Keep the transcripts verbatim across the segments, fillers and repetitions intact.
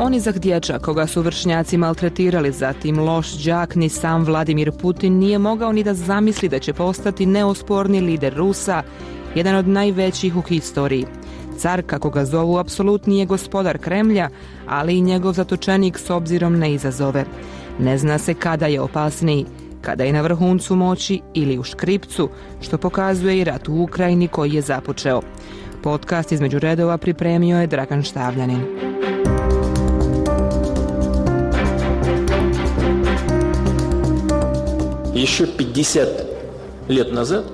Onizak dječak koga su vršnjaci maltretirali, zatim loš đak, ni sam Vladimir Putin nije mogao ni da zamisli da će postati neosporni lider Rusa, jedan od najvećih u historiji. Car, kako ga zovu, apsolutni je gospodar Kremlja, ali i njegov zatočenik s obzirom na izazove. Ne zna se kada je opasniji, kada je na vrhuncu moći ili u škripcu, što pokazuje i rat u Ukrajini koji je započeo. Podcast između redova pripremio je Dragan Štavljanin.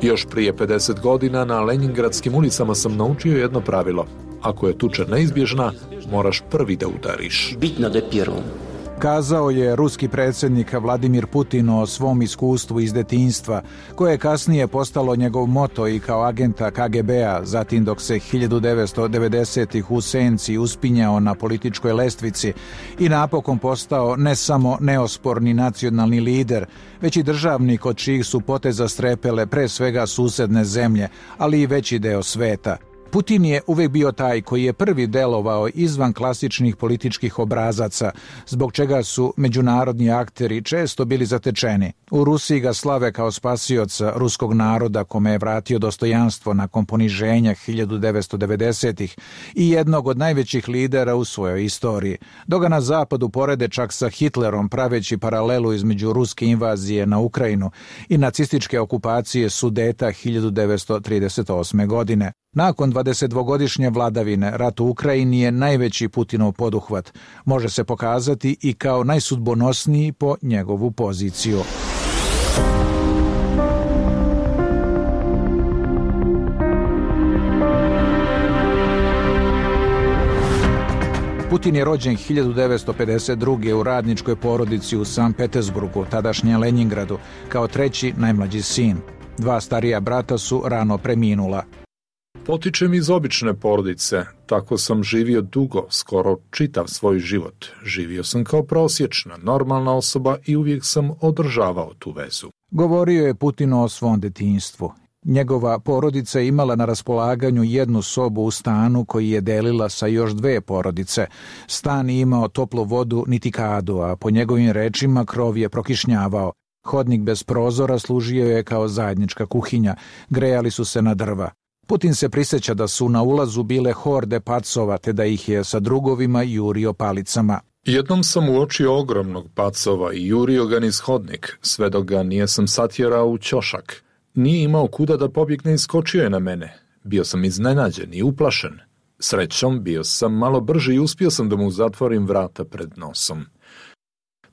Još prije pedeset godina na Leningradskim ulicama sam naučio jedno pravilo. Ako je tuča neizbježna, moraš prvi da udariš. Kazao je ruski predsjednik Vladimir Putin o svom iskustvu iz detinjstva, koje je kasnije postalo njegov moto i kao agenta K G B-a, zatim dok se hiljadu devetsto devedesetih u senci uspinjao na političkoj lestvici i napokon postao ne samo neosporni nacionalni lider, već i državnik od čijih su poteza strepele pre svega susedne zemlje, ali i veći deo sveta. Putin je uvijek bio taj koji je prvi delovao izvan klasičnih političkih obrazaca, zbog čega su međunarodni akteri često bili zatečeni. U Rusiji ga slave kao spasioca ruskog naroda kome je vratio dostojanstvo nakon poniženja hiljadu devetsto devedesetih i jednog od najvećih lidera u svojoj istoriji. Dok ga na zapadu porede čak sa Hitlerom, praveći paralelu između ruske invazije na Ukrajinu i nacističke okupacije Sudeta hiljadu devetsto trideset osme. godine. Nakon dvadesetdvogodišnje vladavine, rat u Ukrajini je najveći Putinov poduhvat. Može se pokazati i kao najsudbonosniji po njegovu poziciju. Putin je rođen hiljadu devetsto pedeset druge. u radničkoj porodici u Sankt Petersburgu, tadašnjem Leningradu, kao treći najmlađi sin. Dva starija brata su rano preminula. Potičem iz obične porodice, tako sam živio dugo, skoro čitav svoj život. Živio sam kao prosječna, normalna osoba i uvijek sam održavao tu vezu. Govorio je Putin o svom detinjstvu. Njegova porodica je imala na raspolaganju jednu sobu u stanu koji je delila sa još dve porodice. Stan je imao toplu vodu niti kadu, a po njegovim rečima krov je prokišnjavao. Hodnik bez prozora služio je kao zajednička kuhinja, grejali su se na drva. Putin se prisjeća da su na ulazu bile horde pacova, te da ih je sa drugovima jurio palicama. Jednom sam uočio ogromnog pacova i jurio ga niz hodnik, sve dok ga nijesam satjerao u ćošak. Nije imao kuda da pobjegne i skočio je na mene. Bio sam iznenađen i uplašen. Srećom, bio sam malo brži i uspio sam da mu zatvorim vrata pred nosom.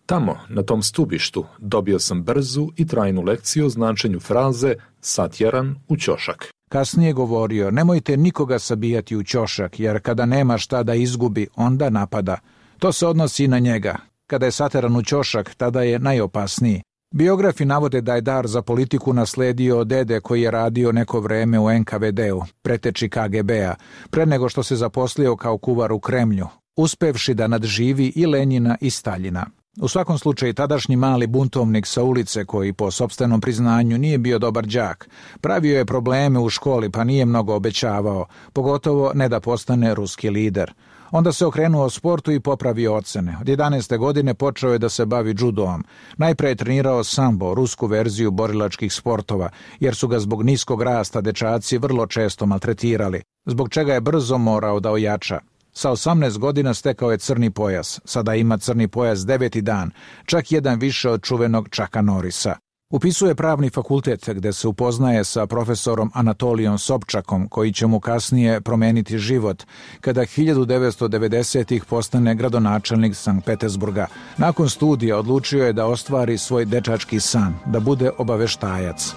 Tamo, na tom stubištu, dobio sam brzu i trajnu lekciju o značenju fraze satjeran u ćošak. Kasnije govorio, nemojte nikoga sabijati u ćošak, jer kada nema šta da izgubi, onda napada. To se odnosi i na njega. Kada je sateran u ćošak, tada je najopasniji. Biografi navode da je dar za politiku nasledio od dede koji je radio neko vreme u N K V D-u, preteči K G B-a, pre nego što se zaposlio kao kuvar u Kremlju, uspevši da nadživi i Lenjina i Staljina. U svakom slučaju, tadašnji mali buntovnik sa ulice, koji po sopstvenom priznanju nije bio dobar đak, pravio je probleme u školi pa nije mnogo obećavao, pogotovo ne da postane ruski lider. Onda se okrenuo sportu i popravio ocene. Od jedanaeste godine počeo je da se bavi judoom. Najpre je trenirao sambo, rusku verziju borilačkih sportova, jer su ga zbog niskog rasta dečaci vrlo često maltretirali, zbog čega je brzo morao da ojača. Sa osamnaest godina stekao je crni pojas, sada ima crni pojas deveti dan, čak jedan više od čuvenog Chucka Norrisa. Upisuje pravni fakultet gde se upoznaje sa profesorom Anatolijom Sobčakom, koji će mu kasnije promeniti život, kada hiljadu devetsto devedesetih postane gradonačelnik Sankt Petersburga. Nakon studija odlučio je da ostvari svoj dečački san, da bude obaveštajac.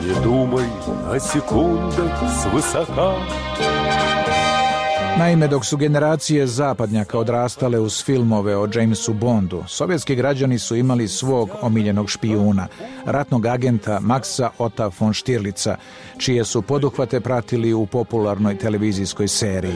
Ne dumaj na sekunde svisoka. Naime, dok su generacije zapadnjaka odrastale uz filmove o Jamesu Bondu, sovjetski građani su imali svog omiljenog špijuna, ratnog agenta Maxa Otta von Stirlica, čije su poduhvate pratili u popularnoj televizijskoj seriji.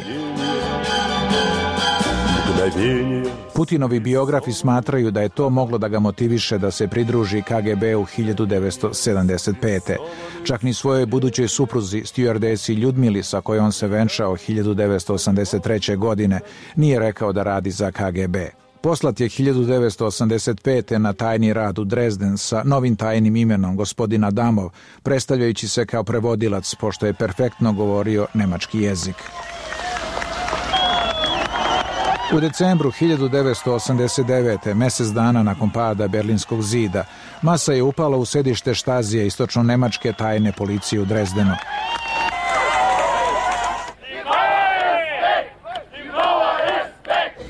мгновения. Putinovi biografi smatraju da je to moglo da ga motiviše da se pridruži K G B-u hiljadu devetsto sedamdeset pete. Čak ni svojoj budućoj supruzi, stjuardesi Ljudmili, sa kojom se venčao hiljadu devetsto osamdeset treće. godine, nije rekao da radi za K G B. Poslat je hiljadu devetsto osamdeset pete. na tajni rad u Dresden sa novim tajnim imenom gospodin Adamov, predstavljajući se kao prevodilac, pošto je perfektno govorio nemački jezik. U decembru hiljadu devetsto osamdeset devete. mjesec dana nakon pada Berlinskog zida, masa je upala u sedište Štazije istočno-nemačke tajne policije u Dresdenu.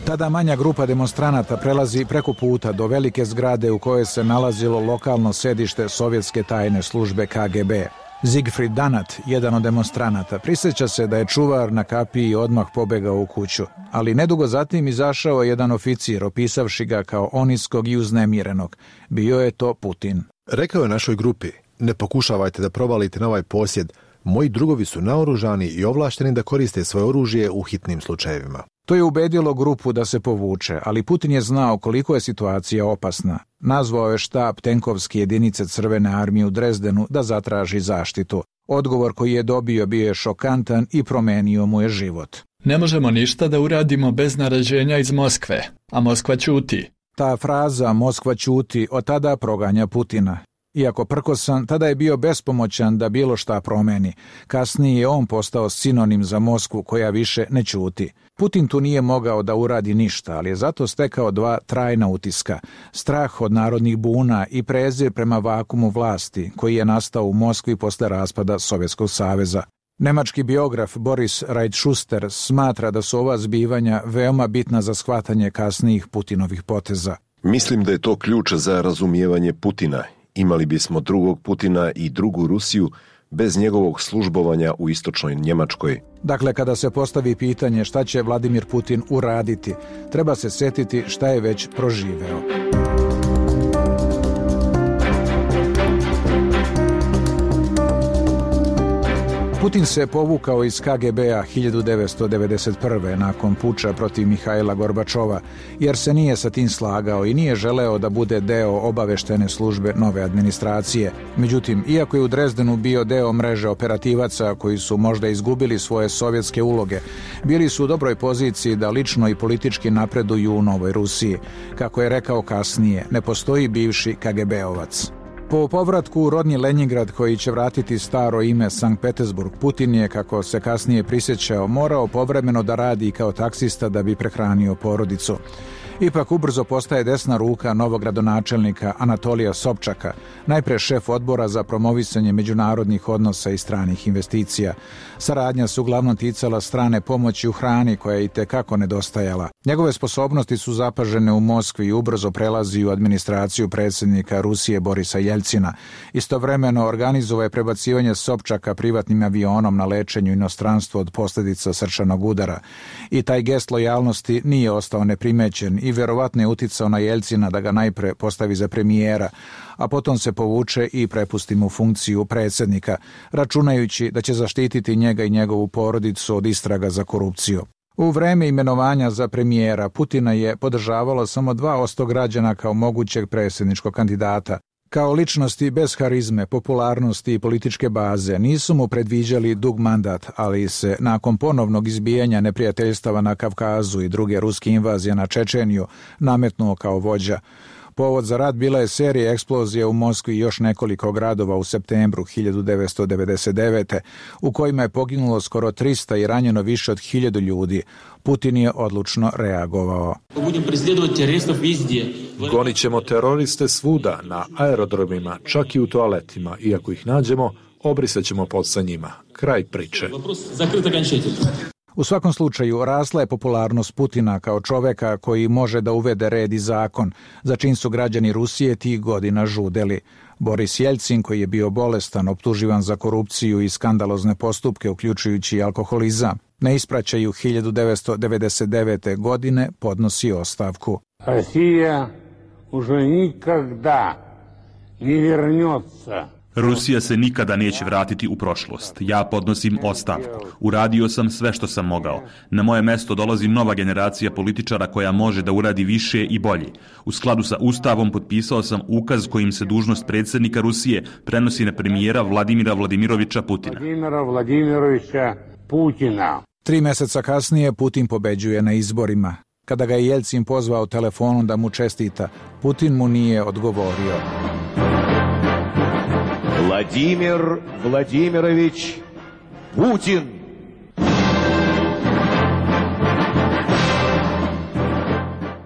Tada manja grupa demonstranata prelazi preko puta do velike zgrade u kojoj se nalazilo lokalno sedište sovjetske tajne službe K G B. Siegfried Danat, jedan od demonstranata, prisjeća se da je čuvar na kapiji odmah pobegao u kuću, ali nedugo zatim izašao jedan oficir, opisavši ga kao oniskog i uznemirenog. Bio je to Putin. Rekao je našoj grupi: ne pokušavajte da provalite na ovaj posjed, moji drugovi su naoružani i ovlašteni da koriste svoje oružje u hitnim slučajevima. To je ubedilo grupu da se povuče, ali Putin je znao koliko je situacija opasna. Nazvao je štab tenkovske jedinice Crvene armije u Dresdenu da zatraži zaštitu. Odgovor koji je dobio bio je šokantan i promenio mu je život. Ne možemo ništa da uradimo bez naređenja iz Moskve, a Moskva ćuti. Ta fraza Moskva ćuti od tada proganja Putina. Iako prkosan, tada je bio bespomoćan da bilo šta promeni. Kasnije je on postao sinonim za Moskvu koja više ne ćuti. Putin tu nije mogao da uradi ništa, ali je zato stekao dva trajna utiska. Strah od narodnih buna i prezir prema vakumu vlasti koji je nastao u Moskvi posle raspada Sovjetskog saveza. Nemački biograf Boris Reitschuster smatra da su ova zbivanja veoma bitna za shvatanje kasnijih Putinovih poteza. Mislim da je to ključ za razumijevanje Putina. Imali bismo drugog Putina i drugu Rusiju bez njegovog službovanja u istočnoj Njemačkoj. Dakle, kada se postavi pitanje šta će Vladimir Putin uraditi, treba se setiti šta je već proživeo. Putin se povukao iz K G B-a hiljadu devetsto devedeset prve. nakon puča protiv Mihajla Gorbačova, jer se nije sa tim slagao i nije želeo da bude deo obaveštene službe nove administracije. Međutim, iako je u Dresdenu bio deo mreže operativaca koji su možda izgubili svoje sovjetske uloge, bili su u dobroj poziciji da lično i politički napreduju u Novoj Rusiji. Kako je rekao kasnije, ne postoji bivši K G B-ovac. Po povratku u rodni Leningrad, koji će vratiti staro ime Sankt Petersburg, Putin je, kako se kasnije prisjećao, morao povremeno da radi kao taksista da bi prehranio porodicu. Ipak ubrzo postaje desna ruka novog gradonačelnika Anatolija Sobčaka, najpre šef odbora za promovisanje međunarodnih odnosa i stranih investicija. Saradnja se uglavnom ticala strane pomoći u hrani koja je i tekako nedostajala. Njegove sposobnosti su zapažene u Moskvi i ubrzo prelazi u administraciju predsjednika Rusije Borisa Jeljcina. Istovremeno organizovao je prebacivanje Sobčaka privatnim avionom na lečenju inostranstvo od posljedica srčanog udara. I taj gest lojalnosti nije ostao neprimećen i vjerovatno je uticao na Jeljcina da ga najpre postavi za premijera, a potom se povuče i prepusti mu funkciju predsjednika, računajući da će zaštititi njega i njegovu porodicu od istraga za korupciju. U vreme imenovanja za premijera Putina je podržavalo samo dva posto građana kao mogućeg predsjedničkog kandidata. Kao ličnosti bez harizme, popularnosti i političke baze nisu mu predviđali dug mandat, ali se nakon ponovnog izbijanja neprijateljstava na Kavkazu i druge ruske invazije na Čečeniju nametnuo kao vođa. Povod za rat bila je serija eksplozija u Moskvi i još nekoliko gradova u septembru hiljadu devetsto devedeset devete. u kojima je poginulo skoro trista i ranjeno više od hiljadu ljudi. Putin je odlučno reagovao. Gonit ćemo teroriste svuda, na aerodromima, čak i u toaletima. Iako ih nađemo, obrisat ćemo pod sa njima. Kraj priče. U svakom slučaju, rasla je popularnost Putina kao čoveka koji može da uvede red i zakon, za čim su građani Rusije tih godina žudeli. Boris Jeljcin, koji je bio bolestan, optuživan za korupciju i skandalozne postupke, uključujući alkoholizam, na ispraćaju hiljadu devetsto devedeset devete. godine podnosi ostavku. Rusija už nikada ne vernется. Rusija se nikada neće vratiti u prošlost. Ja podnosim ostavku. Uradio sam sve što sam mogao. Na moje mesto dolazi nova generacija političara koja može da uradi više i bolje. U skladu sa Ustavom potpisao sam ukaz kojim se dužnost predsjednika Rusije prenosi na premijera Vladimira Vladimirovića Putina. Vladimira Vladimirovića Putina. Tri mjeseca kasnije Putin pobeđuje na izborima. Kada ga je Jelcin pozvao telefonom da mu čestita, Putin mu nije odgovorio. Vladimir Vladimirović Putin.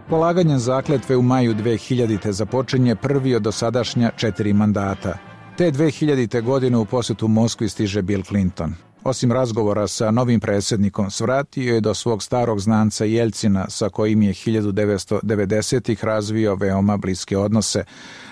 Polaganjem zakletve u maju dve hiljadite započinje prvi od dosadašnja četiri mandata. Te dve hiljadite godine u posjetu Moskvi stiže Bill Clinton. Osim razgovora sa novim predsjednikom, svratio je do svog starog znanca Jelcina, sa kojim je hiljadu devetsto devedesetih razvio veoma bliske odnose,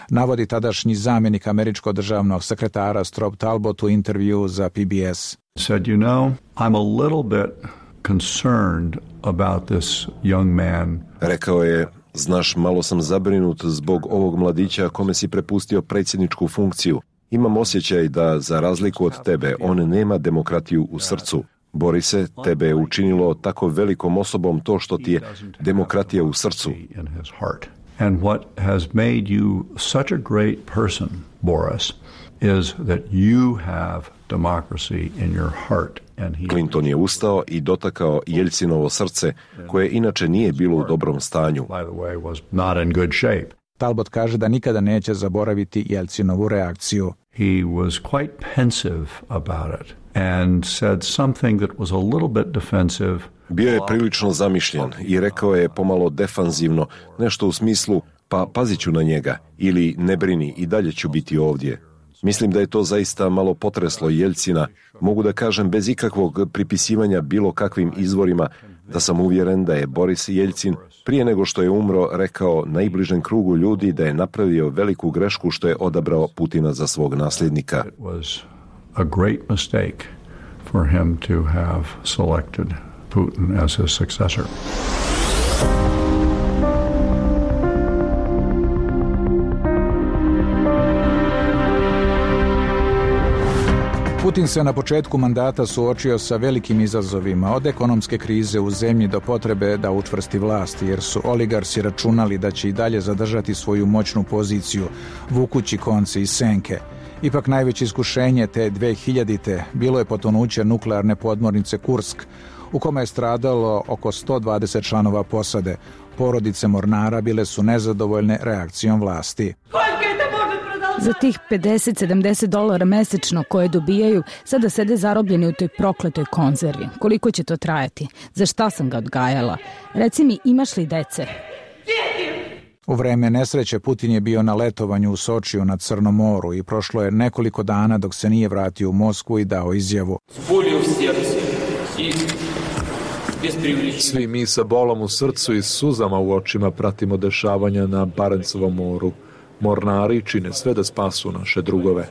navodi tadašnji zamjenik američkog državnog sekretara Strobe Talbot u intervju za P B S. Said, you know, I'm a little bit concerned about this young man. Rekao je, znaš, malo sam zabrinut zbog ovog mladića kome si prepustio predsjedničku funkciju. Imam osjećaj da, za razliku od tebe, on nema demokratiju u srcu. Bori se, tebe je učinilo tako velikom osobom to što ti je demokratija u srcu. And what has made you such a great person, Boris, is that you have democracy in your heart. Clinton je ustao i dotakao Jelcinovo srce, koje inače nije bilo u dobrom stanju. Talbot kaže da nikada neće zaboraviti Jelcinovu reakciju. He was quite pensive about it and said something that was a little bit defensive. Bio je prilično zamišljen i rekao je pomalo defanzivno, nešto u smislu, pa pazit ću na njega, ili ne brini, i dalje ću biti ovdje. Mislim da je to zaista malo potreslo Jelcina. Mogu da kažem bez ikakvog pripisivanja bilo kakvim izvorima da sam uvjeren da je Boris Jelcin prije nego što je umro rekao najbližem krugu ljudi da je napravio veliku grešku što je odabrao Putina za svog nasljednika. It was a great mistake for him to have selected Putin as his successor. Putin se na početku mandata suočio sa velikim izazovima, od ekonomske krize u zemlji do potrebe da učvrsti vlast, jer su oligarsi računali da će i dalje zadržati svoju moćnu poziciju, vukući konce iz senke. Ipak najveće iskušenje te dve hiljadite bilo je potonuće nuklearne podmornice Kursk, u kome je stradalo oko sto dvadeset članova posade. Porodice mornara bile su nezadovoljne reakcijom vlasti. Za tih pedeset do sedamdeset dolara mesečno koje dobijaju, sada sede zarobljeni u toj prokletoj konzervi. Koliko će to trajati? Za šta sam ga odgajala? Reci mi, imaš li dece? U vreme nesreće Putin je bio na letovanju u Sočiju na Crnom moru i prošlo je nekoliko dana dok se nije vratio u Moskvu i dao izjavu. Svi mi sa bolom u srcu i suzama u očima pratimo dešavanja na Barencovom moru. Mornari čine sve da spasu naše drugove.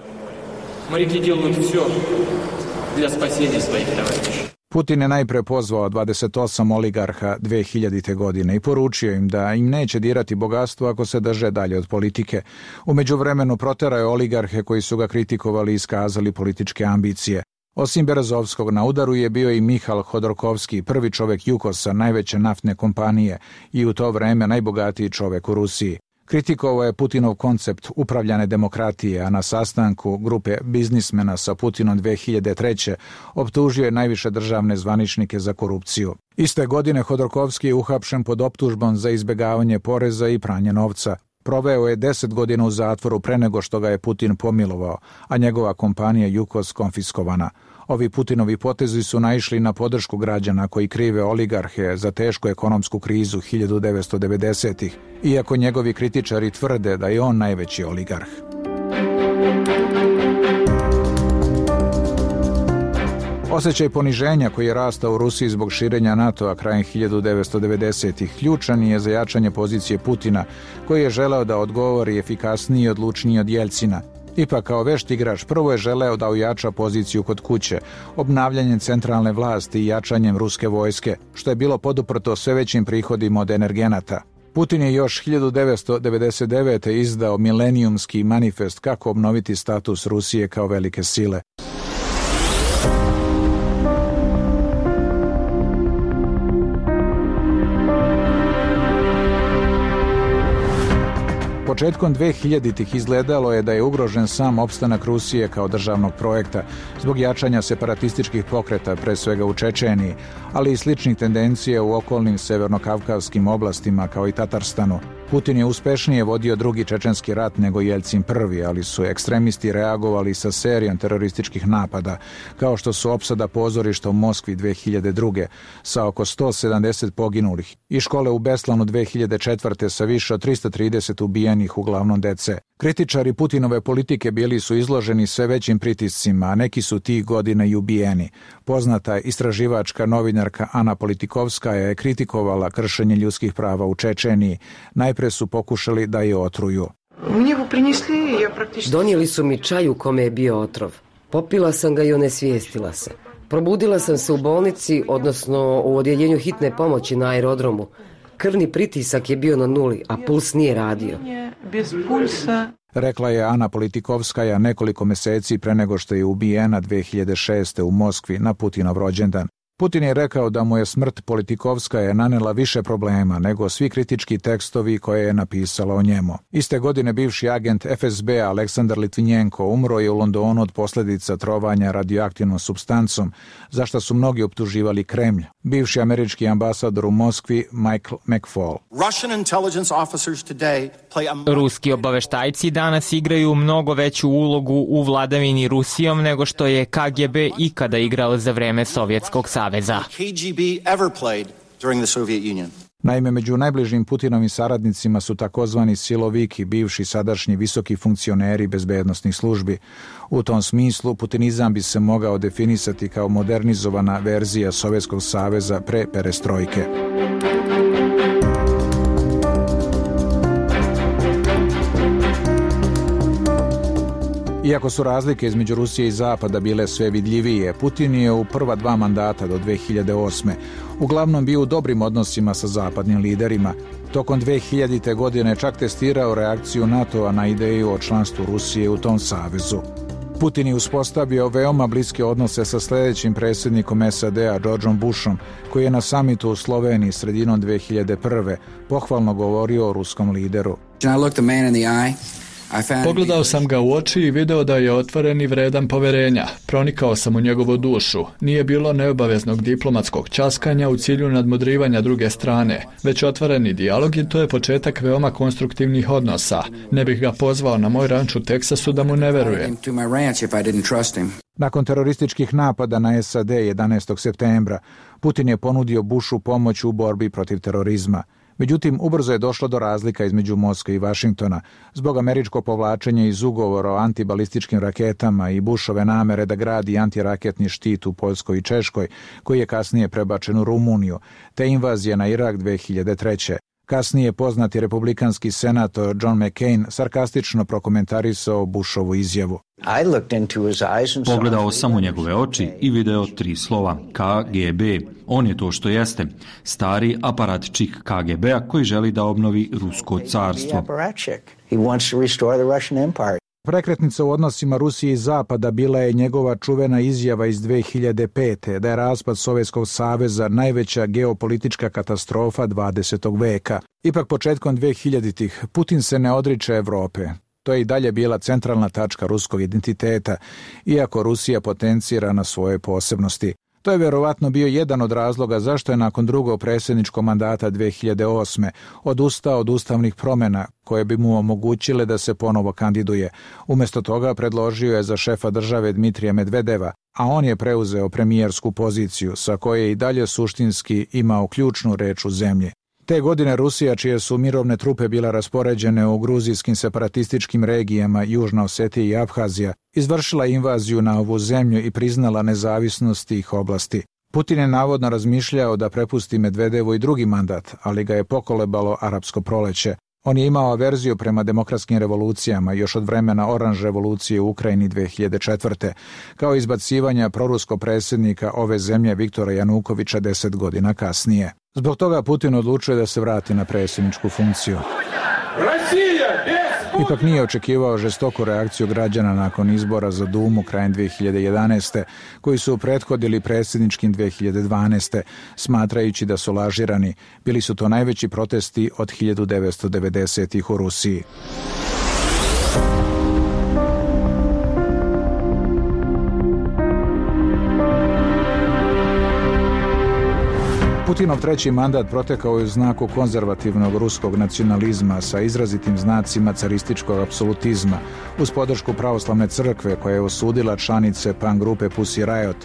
Putin je najpre pozvao dvadeset osam oligarha dve hiljadite godine i poručio im da im neće dirati bogatstvo ako se drže dalje od politike. U međuvremenu proterao je oligarhe koji su ga kritikovali i iskazali političke ambicije. Osim Berezovskog na udaru je bio i Mihal Hodorkovski, prvi čovjek Jukosa, najveće naftne kompanije i u to vreme najbogatiji čovjek u Rusiji. Kritikovao je Putinov koncept upravljane demokratije, a na sastanku grupe biznismena sa Putinom dve hiljade treće optužio je najviše državne zvaničnike za korupciju. Iste godine Hodorkovski je uhapšen pod optužbom za izbjegavanje poreza i pranje novca. Proveo je deset godina u zatvoru pre nego što ga je Putin pomilovao, a njegova kompanija Jukos konfiskovana. Ovi Putinovi potezi su naišli na podršku građana koji krive oligarhe za tešku ekonomsku krizu hiljadu devetsto devedesetih, iako njegovi kritičari tvrde da je on najveći oligarh. Osjećaj poniženja koji je rastao u Rusiji zbog širenja NATO-a krajem hiljadu devetsto devedesetih ključan je za jačanje pozicije Putina, koji je želeo da odgovori efikasniji i odlučniji od Jelcina. Ipak, kao vešt igrač, prvo je želeo da ojača poziciju kod kuće, obnavljanjem centralne vlasti i jačanjem ruske vojske, što je bilo poduprto sve većim prihodima od energenata. Putin je još hiljadu devetsto devedeset devete. izdao milenijumski manifest kako obnoviti status Rusije kao velike sile. Početkom dvehiljaditih izgledalo je da je ugrožen sam opstanak Rusije kao državnog projekta zbog jačanja separatističkih pokreta, pre svega u Čečeniji, ali i sličnih tendencija u okolnim severnokavkavskim oblastima kao i Tatarstanu. Putin je uspešnije vodio drugi čečenski rat nego Jeljcin prvi, ali su ekstremisti reagovali sa serijom terorističkih napada, kao što su opsada pozorišta u Moskvi dve hiljade druge. sa oko sto sedamdeset poginulih i škole u Beslanu dve hiljade četvrte. sa više od tristo trideset ubijenih, uglavnom dece. Kritičari Putinove politike bili su izloženi sve većim pritiscima, a neki su tih godina i ubijeni. Poznata istraživačka novinarka Ana Politikovskaja je kritikovala kršenje ljudskih prava u Čečeniji. Najpre su pokušali da je otruju. Donijeli su mi čaj u kome je bio otrov. Popila sam ga i onesvijestila se. Probudila sam se u bolnici, odnosno u odjeljenju hitne pomoći na aerodromu. Krvni pritisak je bio na nuli, a puls nije radio. Rekla je Ana Politikovskaja nekoliko meseci pre nego što je ubijena dve hiljade šeste. u Moskvi na Putinov rođendan. Putin je rekao da mu je smrt Politikovskaja nanela više problema nego svi kritički tekstovi koje je napisala o njemu. Iste godine bivši agent F S B Aleksandar Litvinjenko umro je u Londonu od posljedica trovanja radioaktivnom supstancom, za što su mnogi optuživali Kremlj. Bivši američki ambasador u Moskvi Michael McFaul. Ruski obaveštajci danas igraju mnogo veću ulogu u vladavini Rusijom nego što je K G B ikada igrao za vreme Sovjetskog saveza. Naime, među najbližim Putinovim saradnicima su takozvani siloviki, bivši sadašnji visoki funkcioneri bezbednosnih službi. U tom smislu, putinizam bi se mogao definisati kao modernizovana verzija Sovjetskog saveza pre perestrojke. Iako su razlike između Rusije i Zapada bile sve vidljivije, Putin je u prva dva mandata do dve hiljade osme. uglavnom bio u dobrim odnosima sa zapadnim liderima. Tokom dve hiljadite. godine čak testirao reakciju NATO-a na ideju o članstvu Rusije u tom savezu. Putin je uspostavio veoma bliske odnose sa sljedećim predsjednikom S A D-a Georgeom Bushom, koji je na samitu u Sloveniji sredinom dve hiljade prve. pohvalno govorio o ruskom lideru. Pogledao sam ga u oči i video da je otvoren i vredan poverenja. Pronikao sam u njegovu dušu. Nije bilo neobaveznog diplomatskog časkanja u cilju nadmudrivanja druge strane, već otvoreni dijalog i to je početak veoma konstruktivnih odnosa. Ne bih ga pozvao na moj ranč u Teksasu da mu ne verujem. Nakon terorističkih napada na S A D jedanaestog septembra, Putin je ponudio Bushu pomoć u borbi protiv terorizma. Međutim, ubrzo je došlo do razlika između Moskve i Vašingtona zbog američkog povlačenja iz ugovora o antibalističkim raketama i Bushove namere da gradi antiraketni štit u Poljskoj i Češkoj, koji je kasnije prebačen u Rumuniju, te invazija na Irak dve hiljade treće. Kasnije poznati republikanski senator John McCain sarkastično prokomentarisao Bushovu izjavu. Pogledao sam u njegove oči i video tri slova K G B. On je to što jeste, stari aparatčik K G B-a koji želi da obnovi Rusko carstvo. Prekretnica u odnosima Rusije i Zapada bila je njegova čuvena izjava iz dve hiljade pete. da je raspad Sovjetskog saveza najveća geopolitička katastrofa dvadesetog veka. Ipak početkom dve hiljaditih. Putin se ne odriče Evrope. To je i dalje bila centralna tačka ruskog identiteta, iako Rusija potencira na svoje posebnosti. To je vjerovatno bio jedan od razloga zašto je nakon drugog predsjedničkog mandata dve hiljade osme. odustao od ustavnih promjena koje bi mu omogućile da se ponovo kandiduje. Umjesto toga predložio je za šefa države Dmitrija Medvedeva, a on je preuzeo premijersku poziciju sa koje je i dalje suštinski imao ključnu reč u zemlji. Te godine Rusija, čije su mirovne trupe bile raspoređene u gruzijskim separatističkim regijama Južna Osetija i Abhazija, izvršila invaziju na ovu zemlju i priznala nezavisnost tih oblasti. Putin je navodno razmišljao da prepusti Medvedevu i drugi mandat, ali ga je pokolebalo arapsko proleće. On je imao averziju prema demokratskim revolucijama još od vremena oranž revolucije u Ukrajini dve hiljade četvrte. kao izbacivanja proruskog predsjednika ove zemlje Viktora Janukovića deset godina kasnije. Zbog toga Putin odlučuje da se vrati na predsjedničku funkciju. Ipak nije očekivao žestoku reakciju građana nakon izbora za Dumu krajem dve hiljade jedanaeste. koji su prethodili predsjedničkim dve hiljade dvanaeste. smatrajući da su lažirani. Bili su to najveći protesti od hiljadu devetsto devedesetih u Rusiji. Putinov treći mandat protekao je u znaku konzervativnog ruskog nacionalizma sa izrazitim znacima carističkog apsolutizma, uz podršku pravoslavne crkve koja je osudila članice punk grupe Pussy Riot,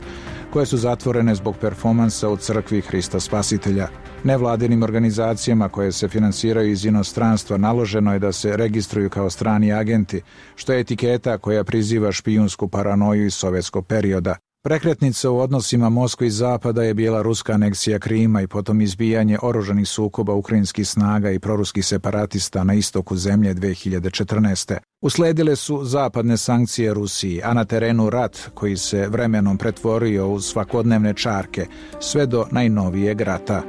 koje su zatvorene zbog performansa u crkvi Hrista Spasitelja. Nevladinim organizacijama koje se finansiraju iz inostranstva naloženo je da se registruju kao strani agenti, što je etiketa koja priziva špijunsku paranoju iz sovjetskog perioda. Prekretnica u odnosima Moskve i Zapada je bila ruska aneksija Krima i potom izbijanje oružanih sukoba ukrajinskih snaga i proruskih separatista na istoku zemlje dve hiljade četrnaeste. Usledile su zapadne sankcije Rusiji, a na terenu rat koji se vremenom pretvorio u svakodnevne čarke, sve do najnovijeg rata.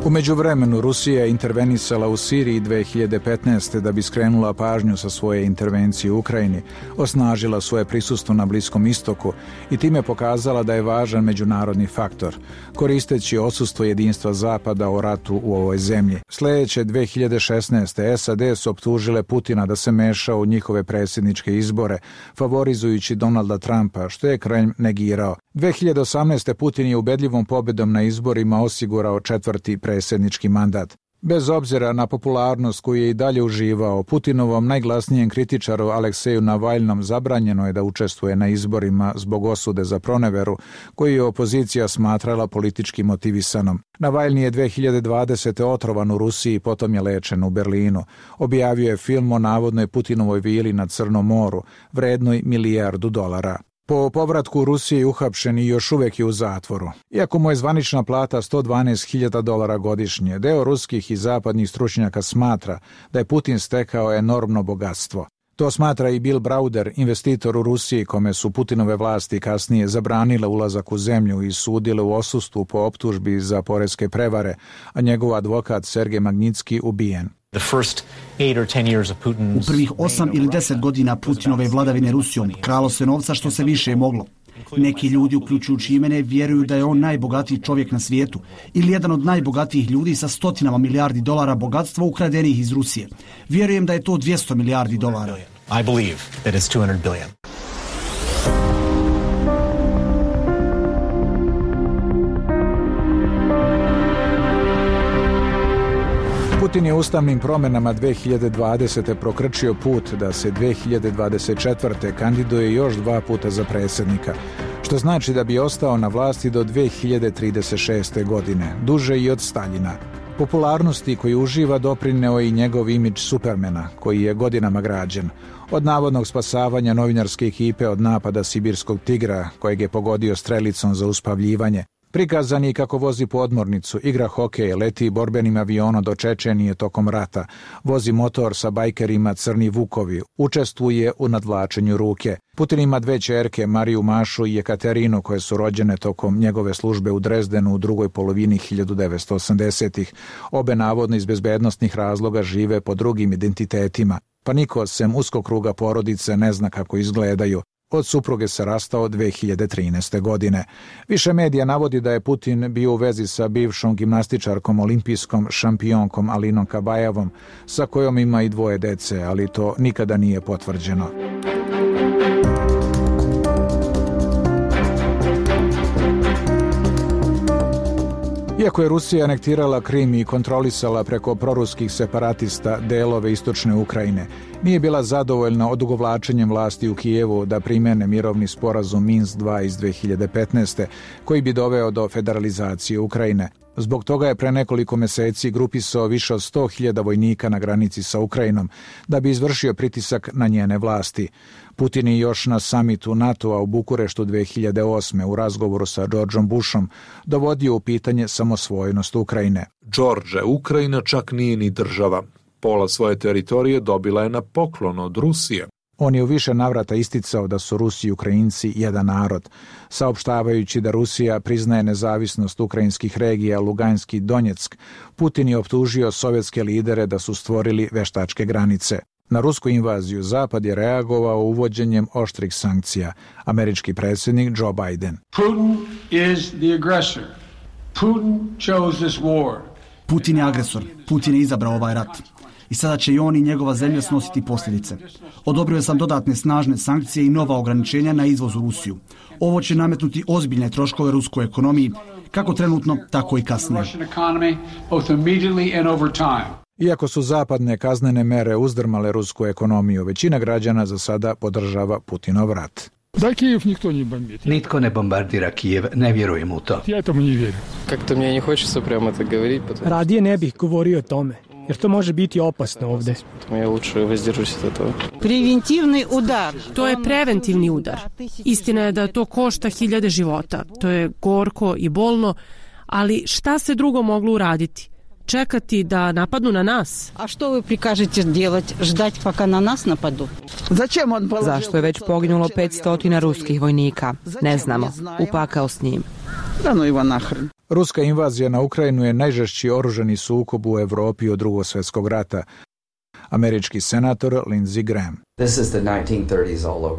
U međuvremenu Rusija je intervenisala u Siriji dve hiljade petnaeste. da bi skrenula pažnju sa svoje intervencije u Ukrajini, osnažila svoje prisustvo na Bliskom istoku i time pokazala da je važan međunarodni faktor, koristeći odsustvo jedinstva Zapada o ratu u ovoj zemlji. Sljedeće dve hiljade šesnaeste. S A D su optužile Putina da se meša u njihove predsjedničke izbore, favorizujući Donalda Trumpa, što je Kremlj negirao. dve hiljade osamnaeste. Putin je ubedljivom pobjedom na izborima osigurao četvrti predsjednički mandat. Bez obzira na popularnost koju je i dalje uživao, Putinovom najglasnijem kritičaru Alekseju Navalnom zabranjeno je da učestvuje na izborima zbog osude za proneveru, koju je opozicija smatrala politički motivisanom. Navalni je dve hiljade dvadesete. otrovan u Rusiji, potom je lečen u Berlinu. Objavio je film o navodnoj Putinovoj vili na Crnom moru, vrednoj milijardu dolara. Po povratku u Rusiji je uhapšen i još uvijek je u zatvoru. Iako mu je zvanična plata sto dvanaest hiljada dolara godišnje, deo ruskih i zapadnih stručnjaka smatra da je Putin stekao enormno bogatstvo. To smatra i Bill Browder, investitor u Rusiji, kome su Putinove vlasti kasnije zabranile ulazak u zemlju i sudile u odsustvu po optužbi za poreske prevare, a njegov advokat Sergej Magnitski ubijen. U prvih osam ili deset godina Putinove vladavine Rusijom kralo se novca što se više moglo. Neki ljudi, uključujući i mene, vjeruju da je on najbogatiji čovjek na svijetu ili jedan od najbogatijih ljudi sa stotinama milijardi dolara bogatstva ukradenih iz Rusije. Vjerujem da je to dvjesto milijardi dolara. I believe that it's two hundred billion. Putin je ustavnim promjenama dve hiljade dvadesete. prokrčio put da se dve hiljade dvadeset četvrte. kandiduje još dva puta za predsjednika, što znači da bi ostao na vlasti do dve hiljade trideset šeste. godine, duže i od Staljina. Popularnosti koju uživa doprineo i njegov imidž Supermana, koji je godinama građen. Od navodnog spasavanja novinarske ekipe od napada sibirskog tigra, kojeg je pogodio strelicom za uspavljivanje, prikazan je kako vozi podmornicu, igra hokej, leti borbenim avionom do Čečenije tokom rata, vozi motor sa bajkerima Crni Vukovi, učestvuje u nadvlačenju ruke. Putin ima dve ćerke, Mariju Mašu i Jekaterinu, koje su rođene tokom njegove službe u Drezdenu u drugoj polovini hiljadu devetsto osamdesetih. Obe navodno iz bezbednosnih razloga žive po drugim identitetima, pa niko sem uskog kruga porodice ne zna kako izgledaju. Od supruge se rastao dve hiljade trinaeste. godine. Više medija navodi da je Putin bio u vezi sa bivšom gimnastičarkom olimpijskom šampionkom Alinom Kabajevom, sa kojom ima i dvoje dece, ali to nikada nije potvrđeno. Iako je Rusija anektirala Krim i kontrolisala preko proruskih separatista delove istočne Ukrajine, nije bila zadovoljna odugovlačenjem vlasti u Kijevu da primene mirovni sporazum Minsk dva iz dve hiljade petnaeste. koji bi doveo do federalizacije Ukrajine. Zbog toga je pre nekoliko meseci grupisao više od sto hiljada vojnika na granici sa Ukrajinom da bi izvršio pritisak na njene vlasti. Putin je još na samitu NATO-a u Bukureštu dve hiljade osme u razgovoru sa Georgeom Bushom dovodio u pitanje samosvojnost Ukrajine. George, Ukrajina čak nije ni država. Pola svoje teritorije dobila je na poklon od Rusije. On je u više navrata isticao da su Rusi i Ukrajinci jedan narod, saopštavajući da Rusija priznaje nezavisnost ukrajinskih regija Luganski i Donjeck. Putin je optužio sovjetske lidere da su stvorili veštačke granice. Na rusku invaziju Zapad je reagovao uvođenjem oštrih sankcija. Američki predsjednik Joe Biden. Putin is the aggressor. Putin chose this war. Putin je agresor. Putin je izabrao ovaj rat. I sada će i on i njegova zemlja snositi posljedice. Odobrio sam dodatne snažne sankcije i nova ograničenja na izvoz u Rusiju. Ovo će nametnuti ozbiljne troškove ruskoj ekonomiji, kako trenutno, tako i kasnije. Iako su zapadne kaznene mere uzdrmale rusku ekonomiju, većina građana za sada podržava Putinov rat. Da, Kijev nikto ne bombardira. Nitko ne bombardira Kijev, ne vjerujem u to. Ja tomu ne vjerujem. Kako mi ne hoće prema tako govoriti. Radije ne bih govorio o tome, jer to može biti opasno ovdje. Ja luče vozdržuсь od toga. Preventivni udar. To je preventivni udar. Istina je da to košta hiljade života. To je gorko i bolno, ali šta se drugo moglo uraditi? Čekati da napadnu na nas? A što vi prikažete делать? Ždati paka na nas napadu? Zašto je već poginulo petsto ruskih vojnika? Ne znamo. Upakao s njim. Ruska invazija na Ukrajinu je najžešći oružani sukob u Evropi od Drugog svjetskog rata. Američki senator Lindsey Graham.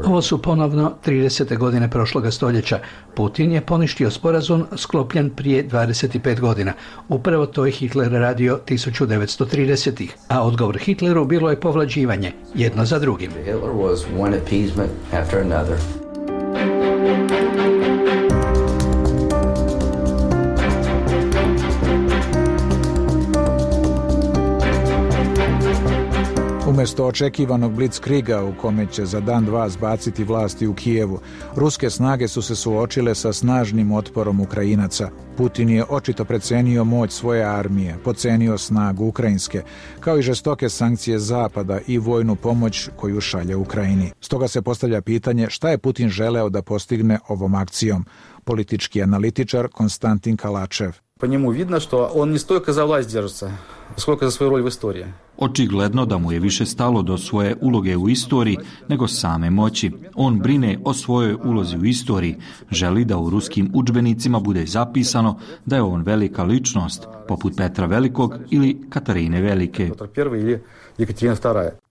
Ovo su ponovno tridesete godine prošloga stoljeća. Putin je poništio sporazum sklopljen prije dvadeset pet godina. Upravo to je Hitler radio tisuću devetsto tridesetih. A odgovor Hitleru bilo je povlađivanje, jedno za drugim. Hitler was one appeasement after another. Umjesto očekivanog blitzkriga u kome će za dan dva zbaciti vlasti u Kijevu, ruske snage su se suočile sa snažnim otporom Ukrajinaca. Putin je očito precenio moć svoje armije, pocenio snagu ukrajinske, kao i žestoke sankcije Zapada i vojnu pomoć koju šalje Ukrajini. Stoga se postavlja pitanje šta je Putin želeo da postigne ovom akcijom. Politički analitičar Konstantin Kalačev. Po njemu vidno što on ne stojko za vlast držится, skoliko za svoju rol u istoriji. Očigledno da mu je više stalo do svoje uloge u istoriji nego same moći. On brine o svojoj ulozi u istoriji, želi da u ruskim udžbenicima bude zapisano da je on velika ličnost, poput Petra Velikog ili Katarine Velike.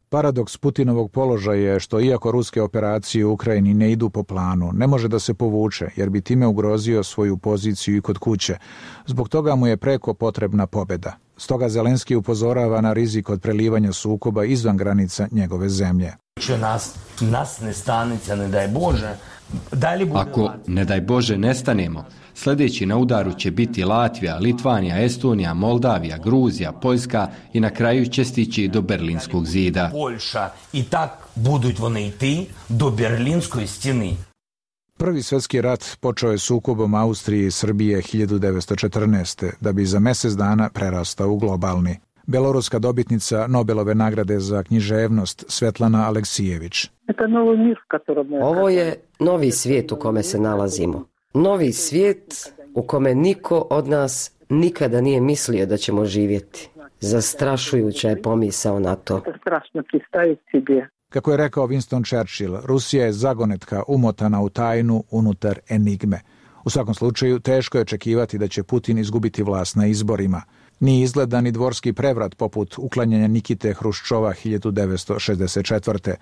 Paradoks Putinovog položaja je što iako ruske operacije u Ukrajini ne idu po planu, ne može da se povuče jer bi time ugrozio svoju poziciju i kod kuće. Zbog toga mu je preko potrebna pobjeda. Stoga Zelenski upozorava na rizik od prelivanja sukoba izvan granica njegove zemlje. Nas, nas ne stanica, ne daj Bože. Ako, ne daj Bože, nestanemo, sljedeći na udaru će biti Latvija, Litvanija, Estonija, Moldavija, Gruzija, Poljska i na kraju će stići do Berlinskog zida. Poljša i tak buduć вони йти do Berlinskoj stjeni. Prvi svjetski rat počeo je sukobom Austrije i Srbije hiljadu devetsto četrnaeste. da bi za mjesec dana prerastao u globalni. Beloruska dobitnica Nobelove nagrade za književnost Svetlana Aleksijević. Ovo je novi svijet u kome se nalazimo. Novi svijet u kome niko od nas nikada nije mislio da ćemo živjeti. Zastrašujuća je pomisao na to. Kako je rekao Winston Churchill, Rusija je zagonetka umotana u tajnu unutar enigme. U svakom slučaju, teško je očekivati da će Putin izgubiti vlast na izborima. Nije izgleda ni dvorski prevrat poput uklanjanja Nikite Hruščova hiljadu devetsto šezdeset četvrte.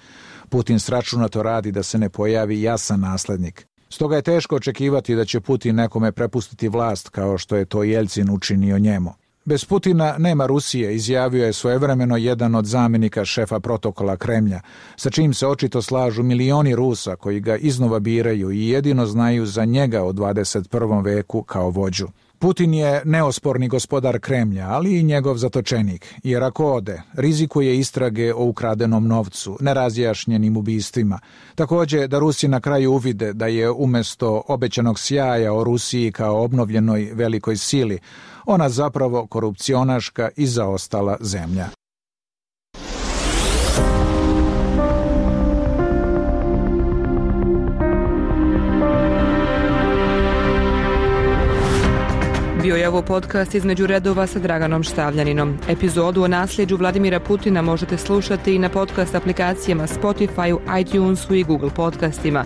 Putin sračunato radi da se ne pojavi jasan naslednik. Stoga je teško očekivati da će Putin nekome prepustiti vlast kao što je to Jeljcin učinio njemu. Bez Putina nema Rusije, izjavio je svojevremeno jedan od zamjenika šefa protokola Kremlja, sa čim se očito slažu milioni Rusa koji ga iznova biraju i jedino znaju za njega u dvadeset prvom veku kao vođu. Putin je neosporni gospodar Kremlja, ali i njegov zatočenik, jer ako ode, rizikuje istrage o ukradenom novcu, nerazjašnjenim ubistvima. Također da Rusi na kraju uvide da je umjesto obećanog sjaja o Rusiji kao obnovljenoj velikoj sili, ona zapravo korupcionaška i zaostala zemlja. Bio je ovo podcast Između redova sa Draganom Štavljaninom. Epizodu o nasljeđu Vladimira Putina možete slušati i na podcast aplikacijama Spotify, iTunesu i Google podcastima.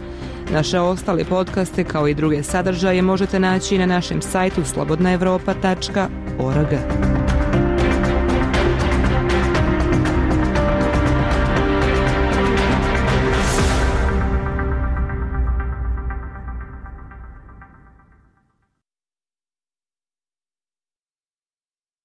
Naše ostale podcaste kao i druge sadržaje možete naći na našem sajtu slobodna evropa tačka org.